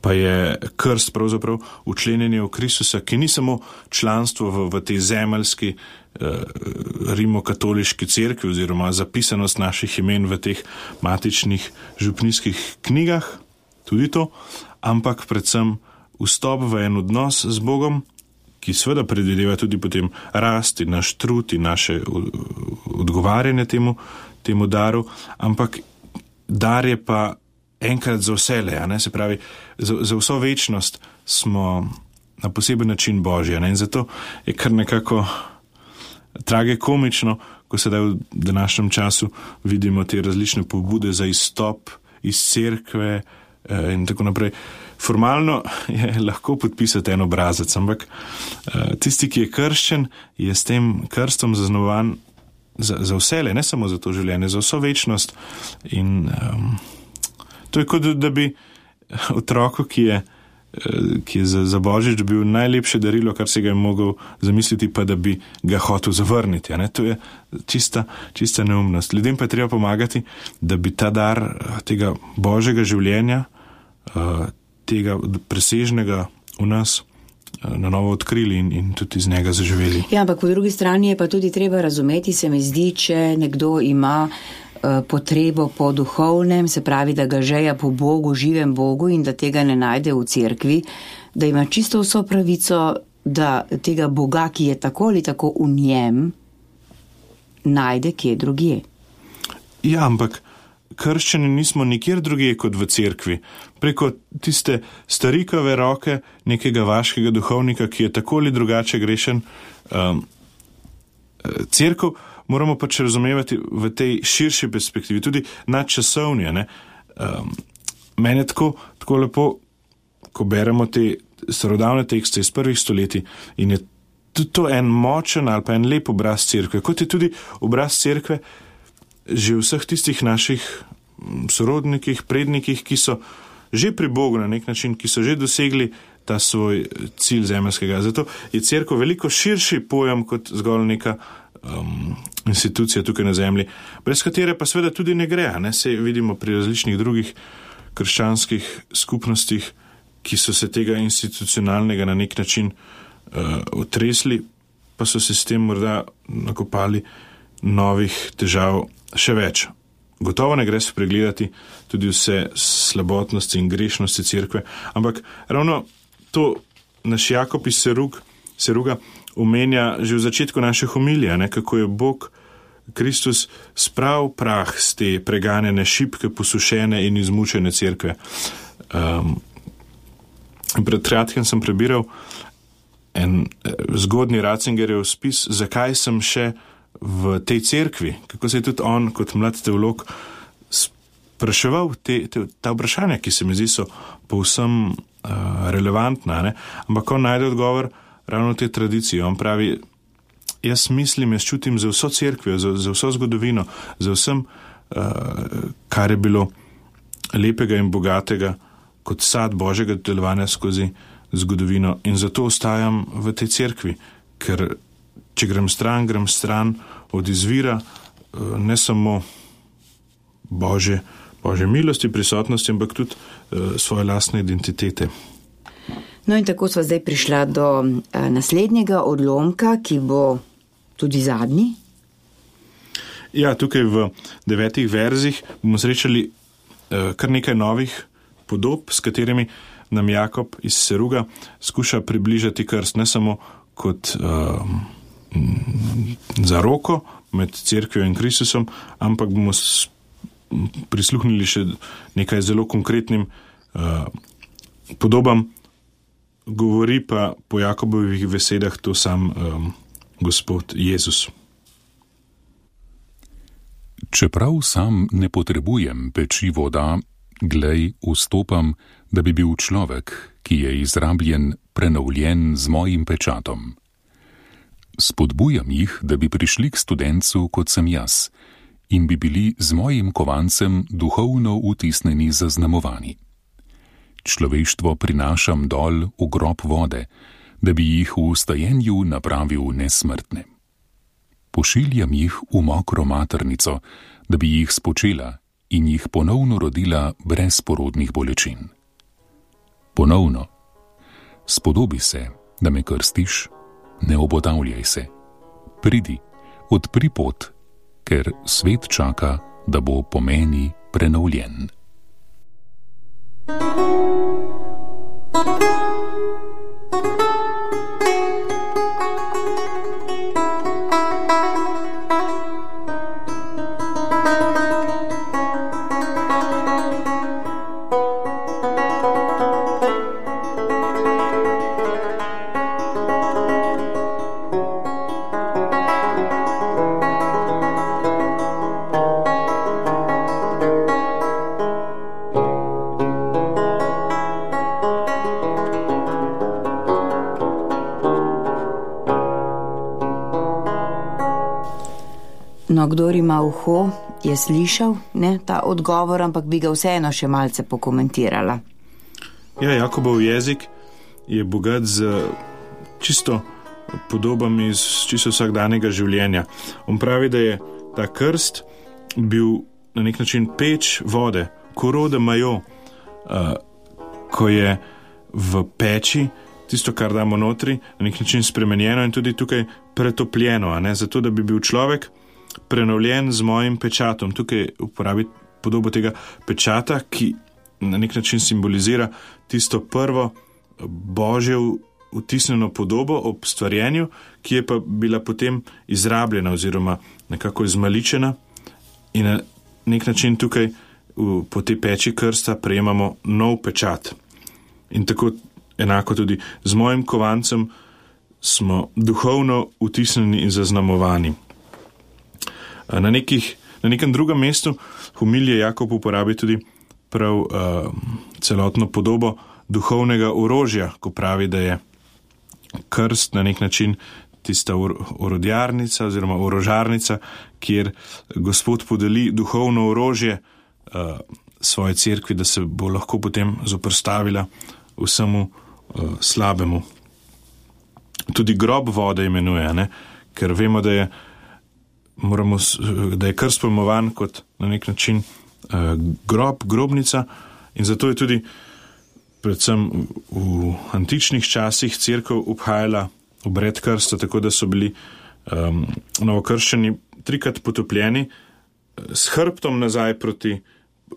pa je krst pravzaprav učlenjenje v Kristusa, ki ni samo članstvo v tej zemeljski rimokatoliški cerkvi oziroma zapisanost naših imen v teh matičnih župnijskih knjigah, tudi to, ampak predvsem vstop v en odnos z Bogom, ki seveda predvideva tudi potem rasti, naš trud in naše odgovarjanje temu daru, ampak dar je pa enkrat za vsele, se pravi, za vso večnost smo na poseben način Božji, in zato je kar nekako tragikomično, ko sedaj v današnjem času vidimo te različne pobude za izstop iz cerkve in tako naprej. Formalno je lahko podpisati en obrazac, ampak tisti, ki je krščen, je s tem krstom zaznamovan za vsele, ne samo za to življenje, za vso večnost. In to je kot da bi otroku, ki je za Božič bil najlepše darilo, kar se ga je mogel zamisliti, pa da bi ga hotel zavrniti. To je čista neumnost. Ljudem pa je treba pomagati, da bi ta dar tega Božjega življenja, tega presežnega v nas na novo odkrili in tudi iz njega zaživeli. Ja, ampak po drugi strani je pa tudi treba razumeti, se mi zdi, če nekdo ima potrebo po duhovnem, se pravi, da ga žeja po Bogu, živem Bogu in da tega ne najde v cerkvi, da ima čisto vso pravico, da tega Boga, ki je tako ali tako v njem, najde kje drugje. Ja, ampak krščani nismo nikjer drugje kot v cerkvi. Preko tiste starikove roke nekega vaškega duhovnika, ki je tako ali drugače grešen. Cerkev moramo pač razumevati v tej širši perspektivi, tudi nadčasovni. Meni je tako lepo, ko beremo te starodavne tekste iz prvih stoletij in je tudi to en močen ali pa en lep obraz cerkve, kot je tudi obraz cerkve že vseh tistih naših sorodnikih, prednikih, ki so že pri Bogu na nek način, ki so že dosegli ta svoj cilj zemeljskega. Zato je cerkev veliko širši pojem kot zgolj neka institucija tukaj na zemlji, brez katere pa seveda tudi ne gre. Sej vidimo pri različnih drugih krščanskih skupnostih, ki so se tega institucionalnega na nek način otresli, pa so se s tem morda nakopali novih težav še več. Gotovo ne gre spregledati tudi vse slabotnosti in grešnosti cerkve, ampak ravno to naš Jakob iz Seruga omenja že v začetku naše homilije, kako je Bog Kristus sprav prah z te preganjene, šibke, posušene in izmučene cerkve. Pred kratkim sem prebiral en zgodnji Ratzingerjev spis, zakaj sem še v tej cerkvi, kako se je tudi on kot mlad teolog spraševal ta vprašanja, ki se mi zdi so povsem relevantna, ampak on najde odgovor ravno v tej tradiciji. On pravi, jaz čutim za vso cerkvijo, za vso zgodovino, za vsem, kar je bilo lepega in bogatega kot sad Božjega delovanja skozi zgodovino, in zato ostajam v tej cerkvi, ker če grem stran od izvira ne samo Božje milosti, prisotnosti, ampak tudi svoje lastne identitete. No in tako sva zdaj prišla do naslednjega odlomka, ki bo tudi zadnji. Ja, tukaj v 9 verzih bomo srečali kar nekaj novih podob, s katerimi nam Jakob iz Seruga skuša približati krst, ne samo kot zaroko med cerkvijo in Kristusom, ampak bomo prisluhnili še nekaj zelo konkretnim podobam. Govori pa po Jakobovih besedah to sam Gospod Jezus. Čeprav sam ne potrebujem peči voda, glej, vstopam, da bi bil človek, ki je izrabljen, prenovljen z mojim pečatom. Spodbujam jih, da bi prišli k studencu, kot sem jaz, in bi bili z mojim kovancem duhovno vtisnjeni zaznamovani. Človeštvo prinašam dol v grob vode, da bi jih v vstajenju napravil nesmrtne. Pošiljam jih v mokro maternico, da bi jih spočela in jih ponovno rodila brez porodnih bolečin. Ponovno, spodobi se, da me krstiš, ne obotavljaj se. Pridi, odpri pot, ker svet čaka, da bo po meni prenovljen. No, kdor ima uho, je slišal ta odgovor, ampak bi ga vseeno še malce pokomentirala. Ja, Jakobov jezik je bogat z čisto podobami iz čisto vsakdanjega življenja. On pravi, da je ta krst bil na nek način peč vode, korode majo, ko je v peči tisto, kar damo notri, na nek način spremenjeno in tudi tukaj pretopljeno, zato da bi bil človek prenovljen z mojim pečatom. Tukaj uporabi podobo tega pečata, ki na nek način simbolizira tisto prvo Božje vtisnjeno podobo ob stvarjenju, ki je pa bila potem izrabljena oziroma nekako izmaličena in na nek način tukaj po tej peči krsta prejemamo nov pečat. In tako enako tudi z mojim kovancem smo duhovno vtisnjeni in zaznamovani. Na nekem drugem mestu homilije Jakob uporabi tudi prav celotno podobo duhovnega orožja, ko pravi, da je krst na nek način tista orodjarnica oziroma orožarnica, kjer Gospod podeli duhovno orožje svoje cerkvi, da se bo lahko potem zoperstavila vsemu slabemu. Tudi grob vode imenuje, ker vemo, da je da je krst pojmovan kot na nek način grobnica, in zato je tudi predvsem v antičnih časih cerkev obhajala obred krsta, tako da so bili novokrščeni 3-krat potopljeni s hrbtom nazaj proti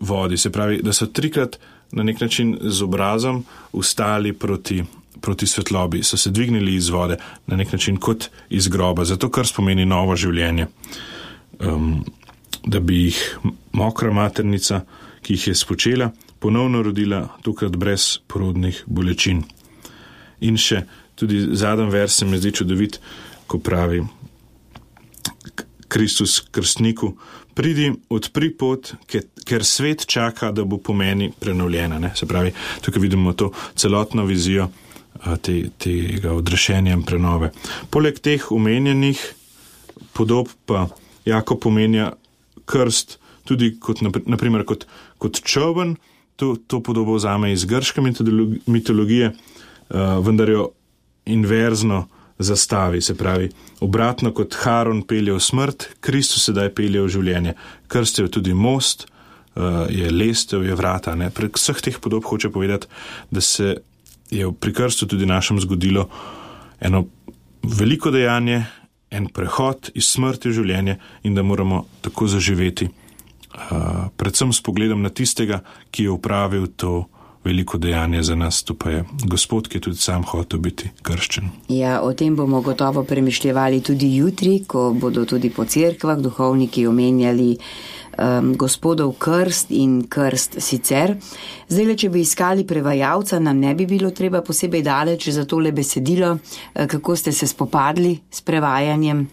vodi, se pravi, da so 3-krat na nek način z obrazom ustali proti svetlobi, so se dvignili iz vode na nek način kot iz groba, zato krst pomeni novo življenje. Da bi jih mokra maternica, ki jih je spočela, ponovno rodila, tokrat brez porodnih bolečin. In še tudi zadnji vers se mi zdi čudovit, ko pravi Kristus krstniku: pridi, odpri pot, ker svet čaka, da bo po meni prenovljena. Ne? Se pravi, tukaj vidimo to celotno vizijo tega odrešenja in prenove. Poleg teh omenjenih podob pa Jakob pomenja krst tudi kot, naprimer, kot čoln. To podobo vzame iz grške mitologije, vendar jo inverzno zastavi, se pravi, obratno kot Haron pelje v smrt, Kristus sedaj pelje v življenje. Krst je tudi most, je lestev, je vrata. Ne? Prek vseh teh podob hoče povedati, da se je pri krstu tudi našem zgodilo eno veliko dejanje, en prehod iz smrti v življenje in da moramo tako zaživeti, predvsem s pogledom na tistega, ki je opravil to veliko dejanje za nas, to pa je Gospod, ki je tudi sam hotel biti krščen. Ja, o tem bomo gotovo premišljevali tudi jutri, ko bodo tudi po cerkvah duhovniki omenjali Gospodov krst in krst sicer. Zdaj, če bi iskali prevajalca, nam ne bi bilo treba posebej daleč za tole besedilo, kako ste se spopadli s prevajanjem.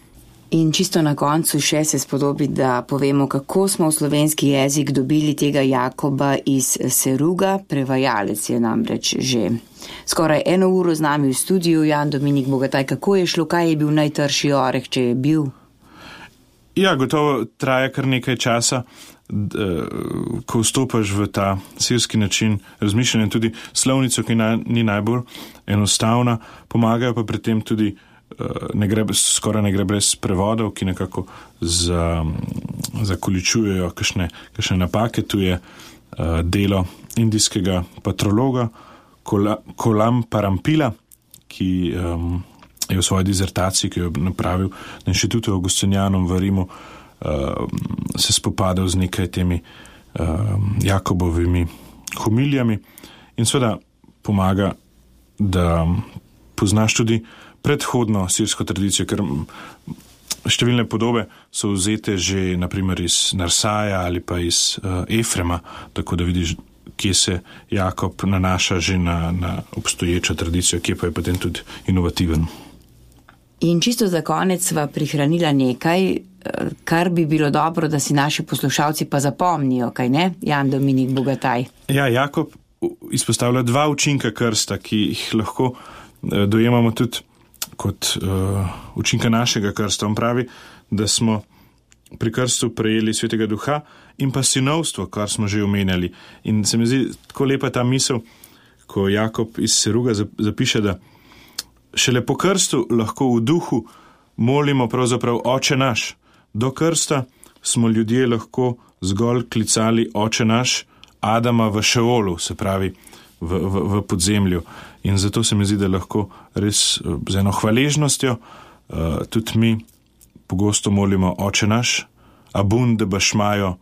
In čisto na koncu še se spodobi, da povemo, kako smo v slovenski jezik dobili tega Jakoba iz Seruga. Prevajalec je namreč že skoraj 1 uro z nami v studiu. Jan Dominik Bogataj, kako je šlo, kaj je bil najtrši oreh, če je bil? Ja, gotovo traja kar nekaj časa, ko vstopaš v ta sirski način razmišljanja, tudi slovnico, ki ni najbolj enostavna, pomagajo pa pri tem tudi skoraj ne gre brez prevodov, ki nekako zakoličujejo kakšne napake. Tu je delo indijskega patrologa Kolam Parampila, ki je v svoji dizertaciji, ki jo je napravil na Inštitutu Augustinianum v Rimu, se spopadal z nekaj temi Jakobovimi homilijami in seveda pomaga, da poznaš tudi predhodno sirsko tradicijo, ker številne podobe so vzete že naprimer iz Narsaja ali pa iz Efrema, tako da vidiš, kje se Jakob nanaša že na obstoječo tradicijo, kje pa je potem tudi inovativen. In čisto za konec sva prihranila nekaj, kar bi bilo dobro, da si naši poslušalci pa zapomnijo, kaj ne? Jan Dominik Bogataj. Ja, Jakob izpostavlja 2 učinka krsta, ki jih lahko dojemamo tudi kot učinka našega krsta. On pravi, da smo pri krstu prejeli Svetega Duha in pa sinovstvo, kar smo že omenjali. In se mi zdi tako lepa ta misel, ko Jakob iz Seruga zapiše, da šele po krstu lahko v duhu molimo pravzaprav Oče naš. Do krsta smo ljudje lahko zgolj klicali Oče naš Adama v Šeolu, se pravi v podzemlju. In zato se mi zdi, da lahko res z eno hvaležnostjo tudi mi pogosto molimo Oče naš, abunde bašmajo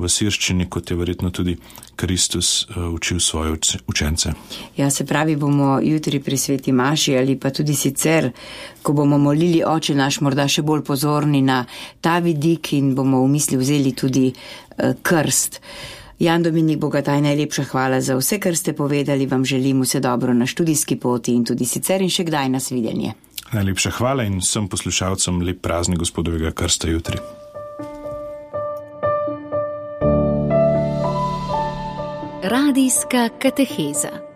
v sirščini, kot je verjetno tudi Kristus učil svoje učence. Ja, se pravi, bomo jutri pri sveti maši ali pa tudi sicer, ko bomo molili Oče naš, morda še bolj pozorni na ta vidik in bomo v misli vzeli tudi krst. Jan Dominik Bogataj, najlepša hvala za vse, kar ste povedali. Vam želim vse dobro na študijski poti in tudi sicer in še kdaj nasvidenje. Najlepša hvala in vsem poslušalcem lep praznik Gospodovega krsta jutri. Radijska kateheza.